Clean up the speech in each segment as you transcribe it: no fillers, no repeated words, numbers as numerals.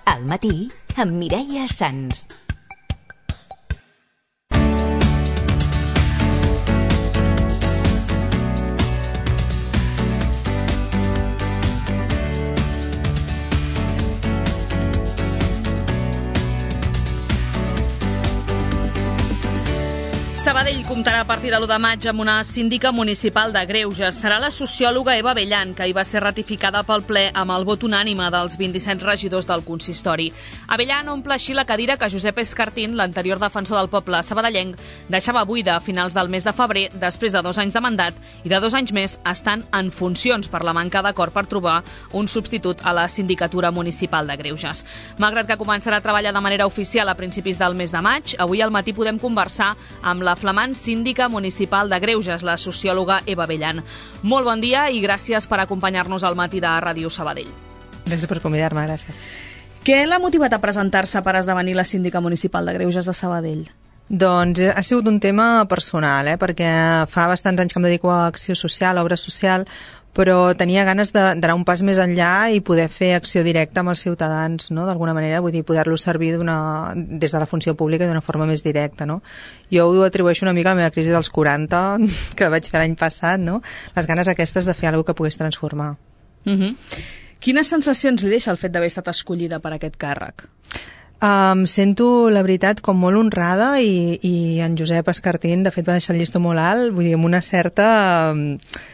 Al matí, amb Mireia Sans. Sabadell comptarà a partir de l'1 de maig amb una síndica municipal de Greuges. Serà la sociòloga Eva Bellan, que hi va ser ratificada pel ple amb el vot unànime dels 27 regidors del consistori. Bellan omple així la cadira que Josep Escartín, l'anterior defensor del poble sabadellenc, deixava buida a finals del mes de febrer, després de 2 anys de mandat i de 2 anys més estan en funcions per la manca d'acord per trobar un substitut a la sindicatura municipal de Greuges. Malgrat que començarà a treballar de manera oficial a principis del mes de maig, avui al matí podem conversar amb la flamant síndica municipal de Greuges, la sociòloga Eva Bellan. Molt bon dia i gràcies per acompanyar-nos al matí de Ràdio Sabadell. Gràcies per convidar-me, gràcies. Què l'ha motivat a presentar-se per esdevenir la síndica municipal de Greuges de Sabadell? Doncs ha sigut un tema personal, perquè fa bastants anys que em dedico a acció social, a obra social, però tenia ganes d'anar un pas més enllà i poder fer acció directa amb els ciutadans, no? D'alguna manera, vull dir, poder-los servir des de la funció pública d'una forma més directa, no? Jo ho atribueixo una mica a la meva crisi dels 40, que vaig fer l'any passat, no? Les ganes aquestes de fer alguna cosa que pogués transformar. Quines sensacions li deixa el fet d'haver estat escollida per aquest càrrec? Em sento, la veritat, com molt honrada i en Josep Escartín, de fet, va deixar el llistó molt alt, vull dir, amb una certa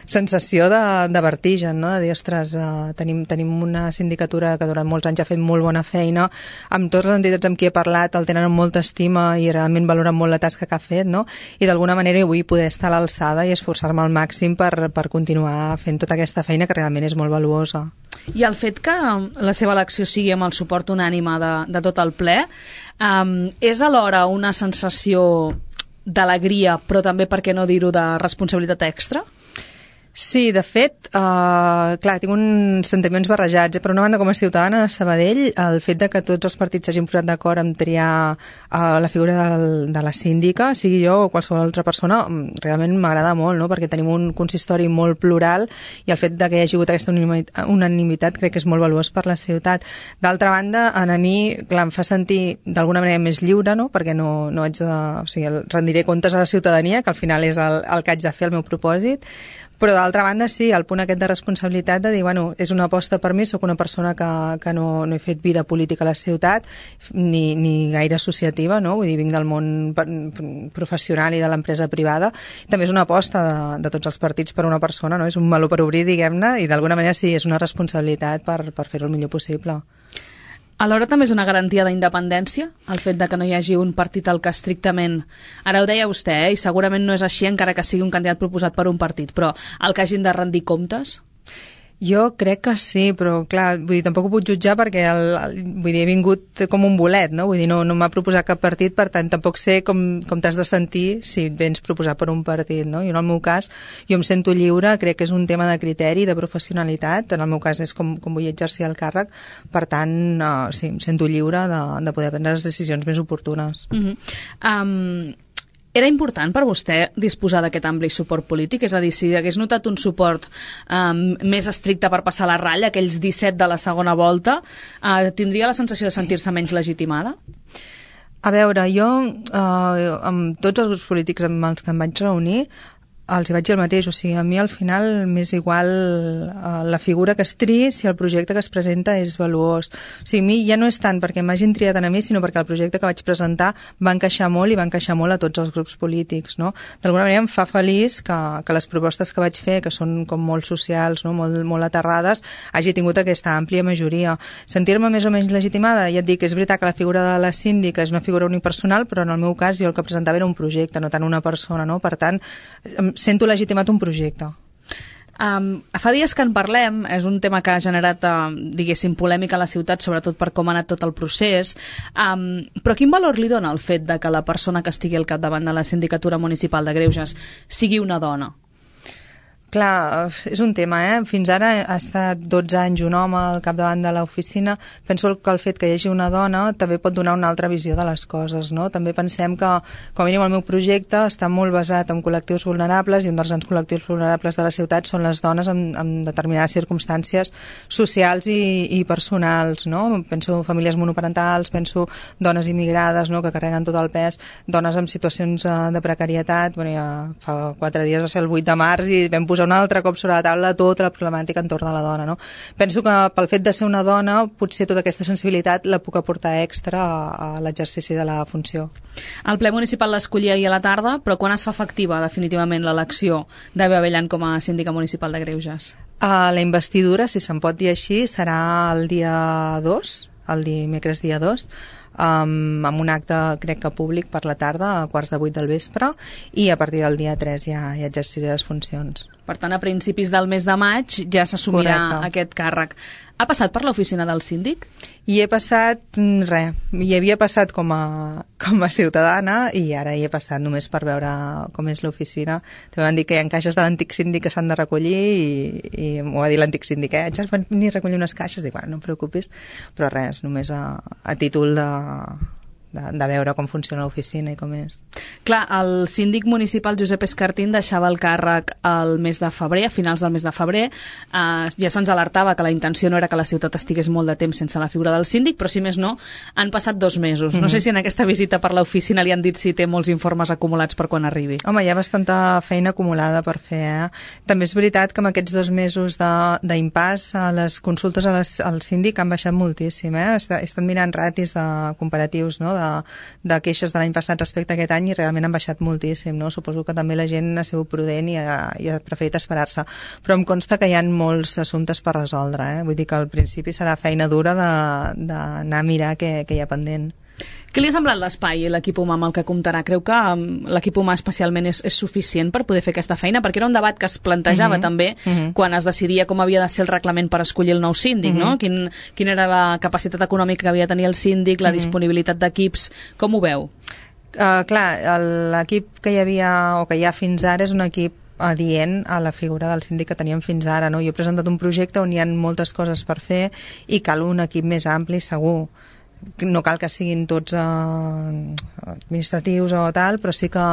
sensació de vertigen, no? De dir, ostres, tenim una sindicatura que durant molts anys ha fet molt bona feina, amb totes les entitats amb qui he parlat el tenen amb molta estima i realment valoren molt la tasca que ha fet, no? I d'alguna manera vull poder estar a l'alçada i esforçar-me al màxim per continuar fent tota aquesta feina que realment és molt valuosa. I el fet que la seva elecció sigui amb el suport unànime de tot el ple, és alhora una sensació d'alegria, però també, per què no dir-ho, de responsabilitat extra? Sí, de fet, clar, tinc uns sentiments barrejats. Per una banda, com a ciutadana de Sabadell, el fet de que tots els partits s'hagin posat d'acord en triar la figura de la síndica, sigui jo o qualsevol altra persona, realment m'agrada molt, no? Perquè tenim un consistori molt plural i el fet de que hi hagi hagut aquesta unanimitat crec que és molt valuós per la ciutat. D'altra banda, a mi, clar, em fa sentir d'alguna manera més lliure, no? Perquè no haig de... O sigui, rendiré comptes a la ciutadania, que al final és el que haig de fer, el meu propòsit. Però d'altra banda sí, el punt aquest de responsabilitat de dir, bueno, és una aposta per mi, sóc una persona que no he fet vida política a la ciutat ni gaire associativa, no? Vull dir, vinc del món professional i de l'empresa privada. També és una aposta de tots els partits per una persona, no? És un meló per obrir, diguem-ne, i d'alguna manera sí, és una responsabilitat per fer-ho el millor possible. Alhora també és una garantia d'independència, el fet de que no hi hagi un partit al que estrictament... Ara ho deia vostè, i segurament no és així encara que sigui un candidat proposat per un partit, però el que hagin de rendir comptes? Jo crec que sí, però clar, vull dir, tampoc ho puc jutjar perquè vull dir, he vingut com un bolet, no? Vull dir, no m'ha proposat cap partit, per tant, tampoc sé com t'has de sentir si et vens proposat per un partit, no? I en el meu cas, jo em sento lliure, crec que és un tema de criteri, de professionalitat, en el meu cas és com vull exercir el càrrec, per tant, sí, em sento lliure de poder prendre les decisions més oportunes. Era important per vostè disposar d'aquest ampli suport polític? És a dir, si hagués notat un suport més estricte per passar la ratlla, aquells 17 de la segona volta, tindria la sensació de sentir-se menys legitimada? A veure, jo amb tots els grups polítics amb els que em vaig reunir els hi vaig dir el mateix, o sigui, a mi al final m'és igual la figura que es triï si el projecte que es presenta és valuós. O sigui, a mi ja no és tant perquè m'hagin triat a mi, sinó perquè el projecte que vaig presentar va encaixar molt i va encaixar molt a tots els grups polítics, no? D'alguna manera em fa feliç que les propostes que vaig fer, que són com molt socials, no? molt aterrades, hagi tingut aquesta àmplia majoria. Sentir-me més o menys legitimada, ja et dic, és veritat que la figura de la síndica és una figura unipersonal, però en el meu cas jo el que presentava era un projecte, no tant una persona, no? Per tant, sento legitimat un projecte. Fa dies que en parlem, és un tema que ha generat, diguéssim, polèmica a la ciutat, sobretot per com ha anat tot el procés, però quin valor li dona el fet de que la persona que estigui al capdavant de la sindicatura municipal de Greuges sigui una dona? Clar, és un tema, Fins ara ha estat 12 anys un home al capdavant de l'oficina. Penso que el fet que hi hagi una dona també pot donar una altra visió de les coses, no? També pensem que, com a mínim, el meu projecte està molt basat en col·lectius vulnerables i un dels grans col·lectius vulnerables de la ciutat són les dones en determinades circumstàncies socials i personals, no? Penso famílies monoparentals, penso dones immigrades, no?, que carreguen tot el pes, dones en situacions de precarietat. Bueno, ja fa 4 dies va ser el 8 de març i vam posar un altre cop sobre la taula tota la problemàtica entorn de la dona, no? Penso que pel fet de ser una dona potser tota aquesta sensibilitat la puc aportar extra a l'exercici de la funció. El ple municipal l'escollia ahir a la tarda, però quan es fa efectiva definitivament l'elecció d'Eva Abellan com a síndica municipal de Greuges? La investidura, si se'n pot dir així, serà el dia 2, el dimecres dia 2, amb un acte, crec que públic, per la tarda, a 7:15 del vespre, i a partir del dia 3 ja exerciré les funcions. Per tant, a principis del mes de maig ja s'assumirà aquest càrrec. Ha passat per l'oficina del síndic? Hi he passat res. Hi havia passat com a ciutadana i ara hi he passat només per veure com és l'oficina. També van dir que hi ha caixes de l'antic síndic que s'han de recollir i m'ho va dir l'antic síndic, ja van venir a recollir unes caixes. Dic, bueno, no em preocupis, però res, només a títol de veure com funciona l'oficina i com és. Clar, el síndic municipal Josep Escartín deixava el càrrec al mes de febrer, a finals del mes de febrer. Ja se'ns alertava que la intenció no era que la ciutat estigués molt de temps sense la figura del síndic, però si més no, han passat 2 mesos. No sé si en aquesta visita per l'oficina li han dit si té molts informes acumulats per quan arribi. Home, hi ha bastanta feina acumulada per fer, També és veritat que en aquests 2 mesos d'impàs les consultes al síndic han baixat moltíssim, He estat mirant ratis comparatius, no?, de queixes de l'any passat respecte a aquest any i realment han baixat moltíssim, no? Suposo que també la gent ha sigut prudent i ha preferit esperar-se, però em consta que hi ha molts assumptes per resoldre, Vull dir que al principi serà feina dura d'anar a mirar què hi ha pendent. Què li ha semblat l'espai i l'equip humà amb el que comptarà? Creu que l'equip humà especialment és suficient per poder fer aquesta feina? Perquè era un debat que es plantejava també quan es decidia com havia de ser el reglament per escollir el nou síndic, no? Quina era la capacitat econòmica que havia de tenir el síndic, la disponibilitat d'equips, com ho veu? Clar, l'equip que hi havia o que hi ha fins ara és un equip adient a la figura del síndic que teníem fins ara, no? Jo he presentat un projecte on hi ha moltes coses per fer i cal un equip més ampli, segur. No cal que siguin tots administratius o tal, però sí que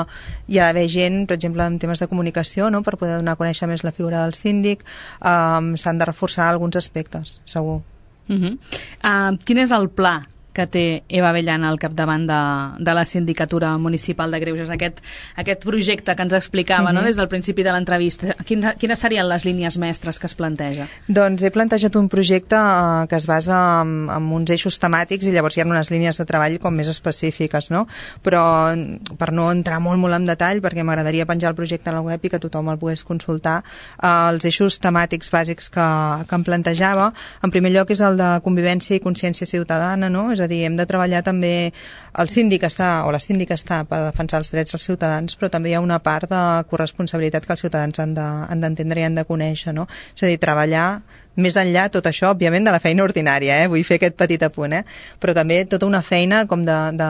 hi ha d'haver gent, per exemple, en temes de comunicació, no?, per poder donar a conèixer més la figura del síndic. S'han de reforçar alguns aspectes, segur. Quin és el pla que té Eva Abellan al capdavant de la Sindicatura Municipal de Greuges, aquest projecte que ens explicava no, des del principi de l'entrevista? Quines serien les línies mestres que es planteja? Doncs he plantejat un projecte que es basa en uns eixos temàtics i llavors hi ha unes línies de treball com més específiques, no? Però per no entrar molt en detall, perquè m'agradaria penjar el projecte a la web i que tothom el pogués consultar, els eixos temàtics bàsics que em plantejava, en primer lloc és el de convivència i consciència ciutadana, no? És a dir, hem de treballar també, el síndic està, o la síndica està per defensar els drets dels ciutadans, però també hi ha una part de corresponsabilitat que els ciutadans han d'entendre i han de conèixer, no? És a dir, treballar més enllà tot això, òbviament, de la feina ordinària, vull fer aquest petit apunt, però també tota una feina com de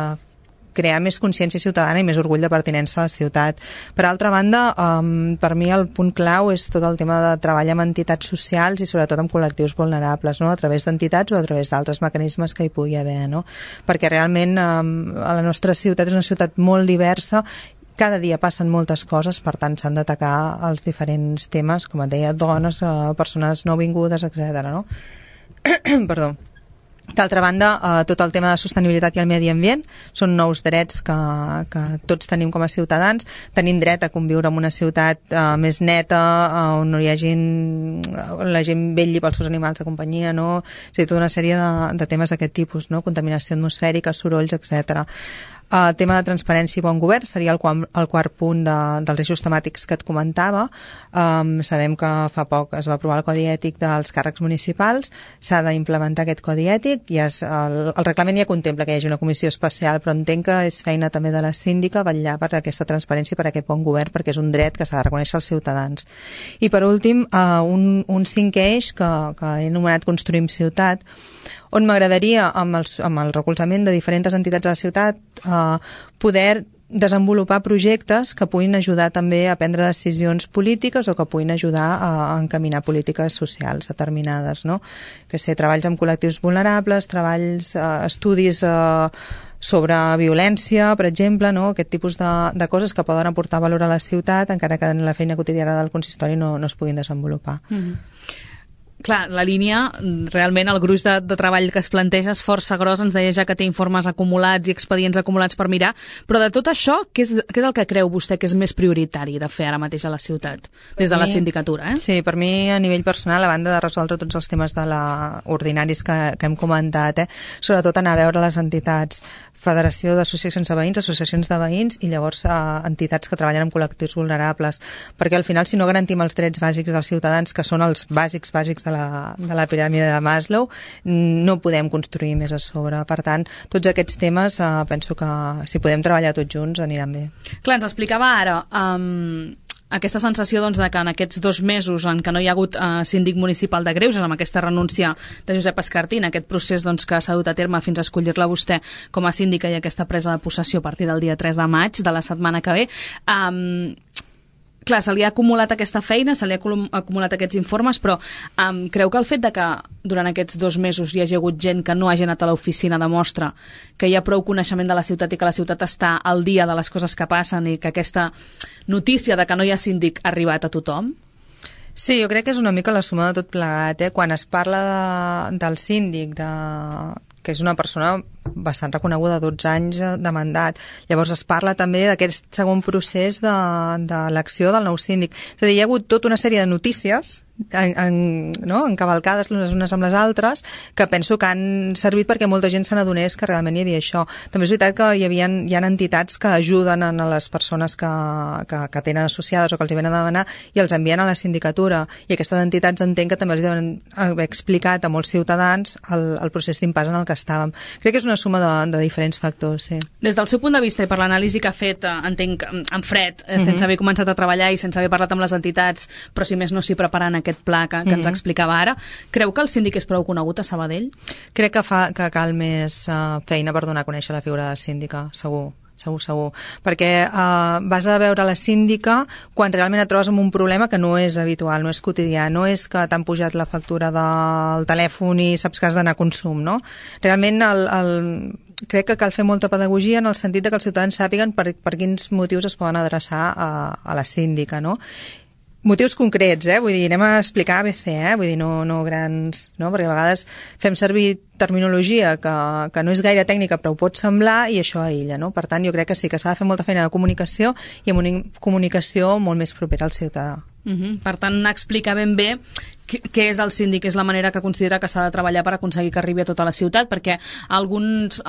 crear més consciència ciutadana i més orgull de pertinença a la ciutat. Per altra banda, per mi el punt clau és tot el tema de treballar amb entitats socials i sobretot amb col·lectius vulnerables, no? A través d'entitats o a través d'altres mecanismes que hi pugui haver, no? Perquè realment la nostra ciutat és una ciutat molt diversa, cada dia passen moltes coses, per tant s'han d'atacar els diferents temes, com et deia, dones, persones nouvingudes, etc. no? Perdó. D'altra banda, tot el tema de sostenibilitat i el medi ambient són nous drets que tots tenim com a ciutadans. Tenim dret a conviure en una ciutat més neta, on no hi hagi la gent vetlli pels seus animals de companyia, no? És a dir, tota una sèrie de temes d'aquest tipus, no? Contaminació atmosfèrica, sorolls, etc. El tema de transparència i bon govern seria el quart punt dels eixos temàtics que et comentava. Sabem que fa poc es va aprovar el Codi Ètic dels càrrecs municipals, s'ha d'implementar aquest Codi Ètic, i el reglament ja contempla que hi hagi una comissió especial, però entenc que és feina també de la síndica vetllar per aquesta transparència i per aquest bon govern, perquè és un dret que s'ha de reconèixer als ciutadans. I per últim, un cinquè eix que he anomenat Construïm Ciutat, on m'agradaria, amb el recolzament de diferents entitats de la ciutat, poder desenvolupar projectes que puguin ajudar també a prendre decisions polítiques o que puguin ajudar a encaminar polítiques socials determinades, no? Que sé, treballs amb col·lectius vulnerables, estudis sobre violència, per exemple, no? Aquest tipus de coses que poden aportar valor a la ciutat, encara que en la feina quotidiana del consistori no es puguin desenvolupar. Clar, la línia, realment el gruix de treball que es planteja és força gros, ens deia ja que té informes acumulats i expedients acumulats per mirar, però de tot això, què és el que creu vostè que és més prioritari de fer ara mateix a la ciutat, des de la sindicatura? Sí, per mi a nivell personal, a banda de resoldre tots els temes ordinaris que hem comentat, sobretot anar a veure les entitats, Federació d'Associacions de Veïns, associacions de veïns i llavors entitats que treballen amb col·lectius vulnerables, perquè al final si no garantim els drets bàsics dels ciutadans, que són els bàsics de la piràmide de Maslow, no podem construir més a sobre. Per tant, tots aquests temes penso que si podem treballar tots junts aniran bé. Clar, ens explicava ara aquesta sensació doncs, de que en aquests 2 mesos en què no hi ha hagut síndic municipal de Greuges, amb aquesta renúncia de Josep Escartín, aquest procés doncs, que s'ha dut a terme fins a escollir-la vostè com a síndica i aquesta presa de possessió a partir del dia 3 de maig de la setmana que ve, clar, se li ha acumulat aquesta feina, se li ha acumulat aquests informes, però creu que el fet de que durant aquests 2 mesos hi hagi hagut gent que no hagi anat a l'oficina demostra que hi ha prou coneixement de la ciutat i que la ciutat està al dia de les coses que passen i que aquesta notícia de que no hi ha síndic ha arribat a tothom? Sí, jo crec que és una mica la suma de tot plegat. Quan es parla del síndic, que és una persona bastant reconeguda, 12 anys de mandat. Llavors es parla també d'aquest segon procés de l'elecció del nou síndic. És a dir, hi ha hagut tota una sèrie de notícies encavalcades les unes amb les altres, que penso que han servit perquè molta gent se n'adonés que realment hi havia això. També és veritat que hi ha entitats que ajuden a les persones que tenen associades o que els hi venen a demanar i els envien a la sindicatura, i aquestes entitats entenc que també els deuen haver explicat a molts ciutadans el procés d'impàs en el que estàvem. Crec que és una suma de diferents factors, sí. Des del seu punt de vista i per l'anàlisi que ha fet, entenc, en fred, sense haver començat a treballar i sense haver parlat amb les entitats, però si més no s'hi preparant aquest pla que ens explicava ara, creu que el síndic és prou conegut a Sabadell? Crec que cal més feina per donar a conèixer la figura de síndica, segur. Perquè vas a veure la síndica quan realment et trobes amb un problema que no és habitual, no és quotidià, no és que t'han pujat la factura del telèfon i saps que has d'anar a consum, no? Realment crec que cal fer molta pedagogia en el sentit que els ciutadans sàpiguen per quins motius es poden adreçar a la síndica, no? Motius concrets, vull dir, anem a explicar ABC, vull dir, no grans, no? Perquè a vegades fem servir terminologia que no és gaire tècnica però ho pot semblar i això aïlla, no? Per tant, jo crec que sí que s'ha de fer molta feina de comunicació i amb una comunicació molt més propera al ciutadà. Per tant, explicar ben bé què és el síndic, és la manera que considera que s'ha de treballar per aconseguir que arribi a tota la ciutat, perquè algunes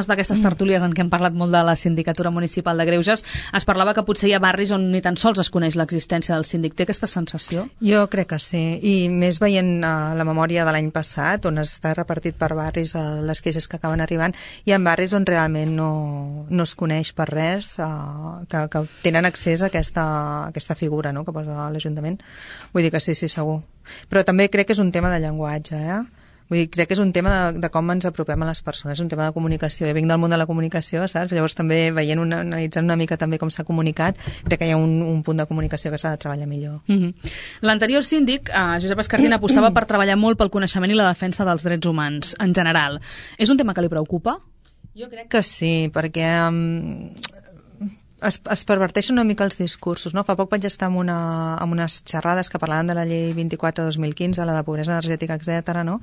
d'aquestes tertúlies en què hem parlat molt de la Sindicatura Municipal de Greuges es parlava que potser hi ha barris on ni tan sols es coneix l'existència del síndic. Té aquesta sensació? Jo crec que sí, i més veient la memòria de l'any passat, on està repartit per barris les queixes que acaben arribant, hi ha barris on realment no es coneix per res, que tenen accés a aquesta figura, no?, que posa l'Ajuntament. Vull dir que sí, segur. Però també crec que és un tema de llenguatge, Vull dir, crec que és un tema de com ens apropem a les persones, és un tema de comunicació. Jo vinc del món de la comunicació, saps? Llavors també analitzant una mica també com s'ha comunicat, crec que hi ha un punt de comunicació que s'ha de treballar millor. L'anterior síndic, Josep Escartín, apostava per treballar molt pel coneixement i la defensa dels drets humans, en general. És un tema que li preocupa? Jo crec que sí, perquè es perverteixen una mica els discursos, no? Fa poc vaig estar en unes xerrades que parlaven de la llei 24/2015, la de pobresa energètica, etc., no?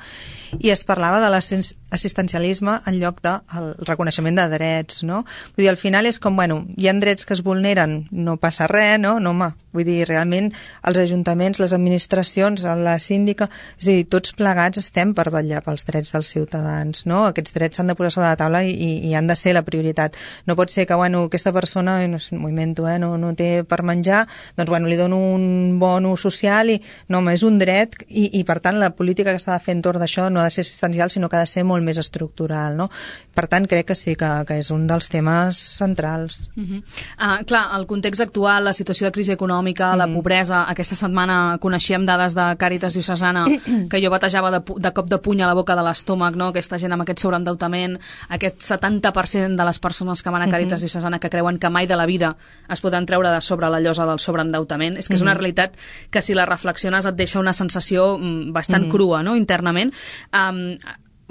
I es parlava de l'assistencialisme en lloc del reconeixement de drets, no? Vull dir, al final és com, hi ha drets que es vulneren, no passa res, no? No, home, vull dir, realment els ajuntaments, les administracions, la síndica, és a dir, tots plegats estem per vetllar pels drets dels ciutadans, no? Aquests drets s'han de posar sobre la taula i han de ser la prioritat. No pot ser que, aquesta persona m'ho invento, no té per menjar, doncs li dono un bono social i no, és un dret i per tant la política que s'ha de fer entorn d'això no ha de ser assistencial, sinó que ha de ser molt molt més estructural, no? Per tant, crec que sí, que és un dels temes centrals. Clar, el context actual, la situació de crisi econòmica, la pobresa, aquesta setmana coneixíem dades de Càritas Diocesana que jo batejava de cop de puny a la boca de l'estómac, no? Aquesta gent amb aquest sobreendeutament, aquest 70% de les persones que van a Càritas Diocesana que creuen que mai de la vida es poden treure de sobre la llosa del sobreendeutament. És que és una realitat que si la reflexiones et deixa una sensació bastant crua, no?, internament.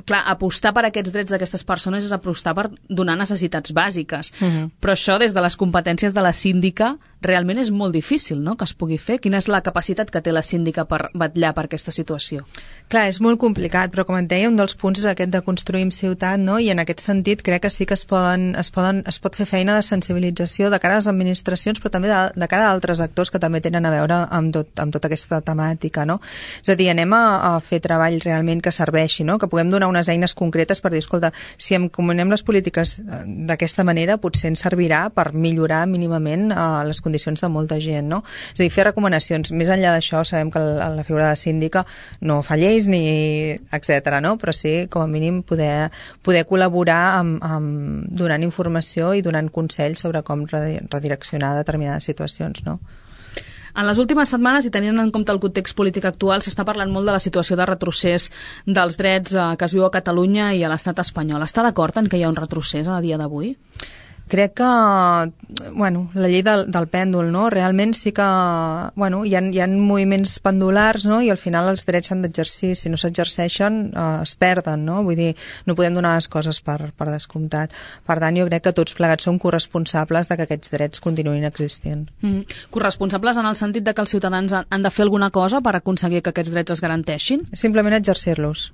Clar, apostar per aquests drets d'aquestes persones és apostar per donar necessitats bàsiques. Però això, des de les competències de la síndica, realment és molt difícil, no?, que es pugui fer. Quina és la capacitat que té la síndica per vetllar per aquesta situació? Clar, és molt complicat, però com et deia, un dels punts és aquest de construir ciutat, no?, i en aquest sentit crec que sí que es pot fer feina de sensibilització de cara a les administracions, però també de cara a altres actors que també tenen a veure amb tota aquesta temàtica, no? És a dir, anem a fer treball realment que serveixi, no?, que puguem donar unes eines concretes per dir, escolta, si encomanem les polítiques d'aquesta manera, potser ens servirà per millorar mínimament les condicions de molta gent, no? És a dir, fer recomanacions. Més enllà d'això, sabem que la figura de síndica no fa lleis ni etcètera, no? Però sí, com a mínim, poder col·laborar donant informació i donant consells sobre com redireccionar determinades situacions, no? En les últimes setmanes, i tenint en compte el context polític actual, s'està parlant molt de la situació de retrocés dels drets que es viu a Catalunya i a l'estat espanyol. Està d'acord en que hi ha un retrocés a dia d'avui? Crec que, la llei del pèndol, no? Realment sí que, hi ha moviments pendulars, no? I al final els drets s'han d'exercir. Si no s'exerceixen, es perden, no? Vull dir, no podem donar les coses per descomptat. Per tant, jo crec que tots plegats som corresponsables de que aquests drets continuïn existint. Corresponsables en el sentit de que els ciutadans han de fer alguna cosa per aconseguir que aquests drets es garanteixin? Simplement exercir-los.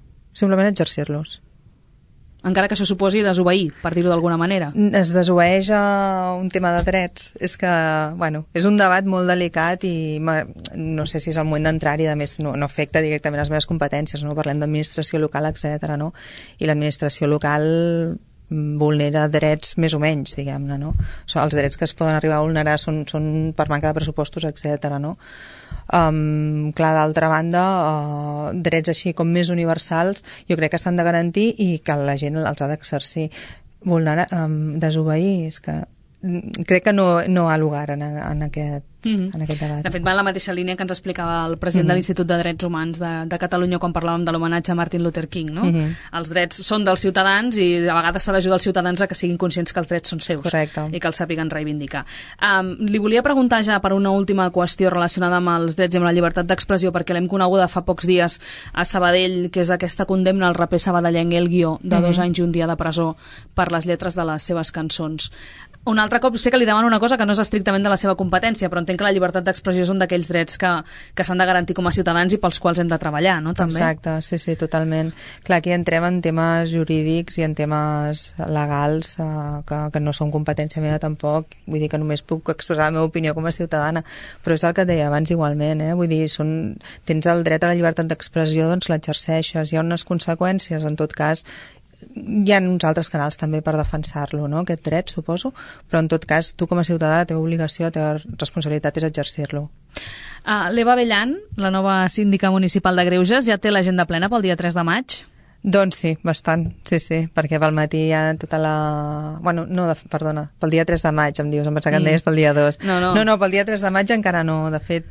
Encara que això suposi desobeir, per dir-ho d'alguna manera. Es desobeeix a un tema de drets. És que, és un debat molt delicat i no sé si és el moment d'entrar-hi, a més no afecta directament les meves competències, no? Parlem d'administració local, etcètera, no? I l'administració local vulnera drets més o menys, diguem-ne, no? Els drets que es poden arribar a vulnerar són per manca de pressupostos, etcètera, no? Clar, d'altra banda, drets així com més universals jo crec que s'han de garantir i que la gent els ha d'exercir. Desobeir, és que crec que no ha lugar en aquest debat. De fet, va en la mateixa línia que ens explicava el president de l'Institut de Drets Humans de Catalunya quan parlàvem de l'homenatge a Martin Luther King, no? Els drets són dels ciutadans i a vegades s'ha d'ajudar els ciutadans a que siguin conscients que els drets són seus. Correcte. I que els sàpiguen reivindicar. Li volia preguntar ja per una última qüestió relacionada amb els drets i amb la llibertat d'expressió, perquè l'hem coneguda fa pocs dies a Sabadell, que és aquesta condemna al raper sabadellenc El Guió de 2 anys i 1 dia de presó per les lletres de les seves cançons. Un altre cop sé que li demano una cosa que no és estrictament de la seva competència, però entenc que la llibertat d'expressió és un d'aquells drets que s'han de garantir com a ciutadans i pels quals hem de treballar, no? També. Exacte, sí, totalment. Clar, aquí entrem en temes jurídics i en temes legals que no són competència meva tampoc, vull dir que només puc expressar la meva opinió com a ciutadana, però és el que et deia abans igualment, vull dir, tens el dret a la llibertat d'expressió, doncs l'exerceixes, hi ha unes conseqüències, en tot cas hi ha uns altres canals també per defensar-lo, no? Aquest dret, suposo, però en tot cas tu com a ciutadà la teva obligació, la teva responsabilitat és exercir-lo. L'Eva Abellan, la nova síndica municipal de Greuges, ja té l'agenda plena pel dia 3 de maig? Doncs sí, bastant, sí, perquè pel matí hi ha tota la... perdona, pel dia 3 de maig em dius, em pensava que em deies pel dia 2. No, pel dia 3 de maig encara no. De fet,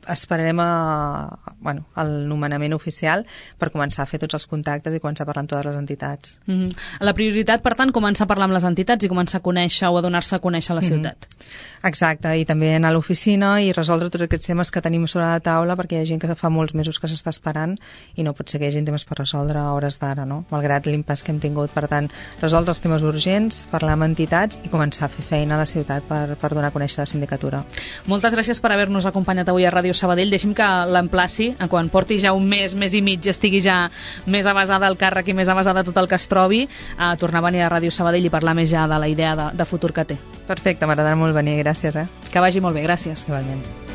esperarem el nomenament oficial per començar a fer tots els contactes i començar a parlar amb totes les entitats. La prioritat, per tant, començar a parlar amb les entitats i començar a conèixer o a donar-se a conèixer la ciutat. Exacte, i també anar a l'oficina i resoldre tots aquests temes que tenim sobre la taula, perquè hi ha gent que fa molts mesos que s'està esperant i no pot ser que hi hagi temes per resoldre a hores d'ara, no? Malgrat l'impàs que hem tingut. Per tant, resoldre els temes urgents, parlar amb entitats i començar a fer feina a la ciutat per donar a conèixer la sindicatura. Moltes gràcies per haver-nos acompanyat avui a Ràdio Sabadell. Deixi'm que l'emplaci, quan porti ja un mes i mig, estigui ja més avasada al càrrec i més avasada tot el que es trobi, a tornar a venir a Ràdio Sabadell i parlar més ja de la idea de futur que té. Perfecte, m'agradarà molt venir, gràcies. Que vagi molt bé, gràcies. Igualment.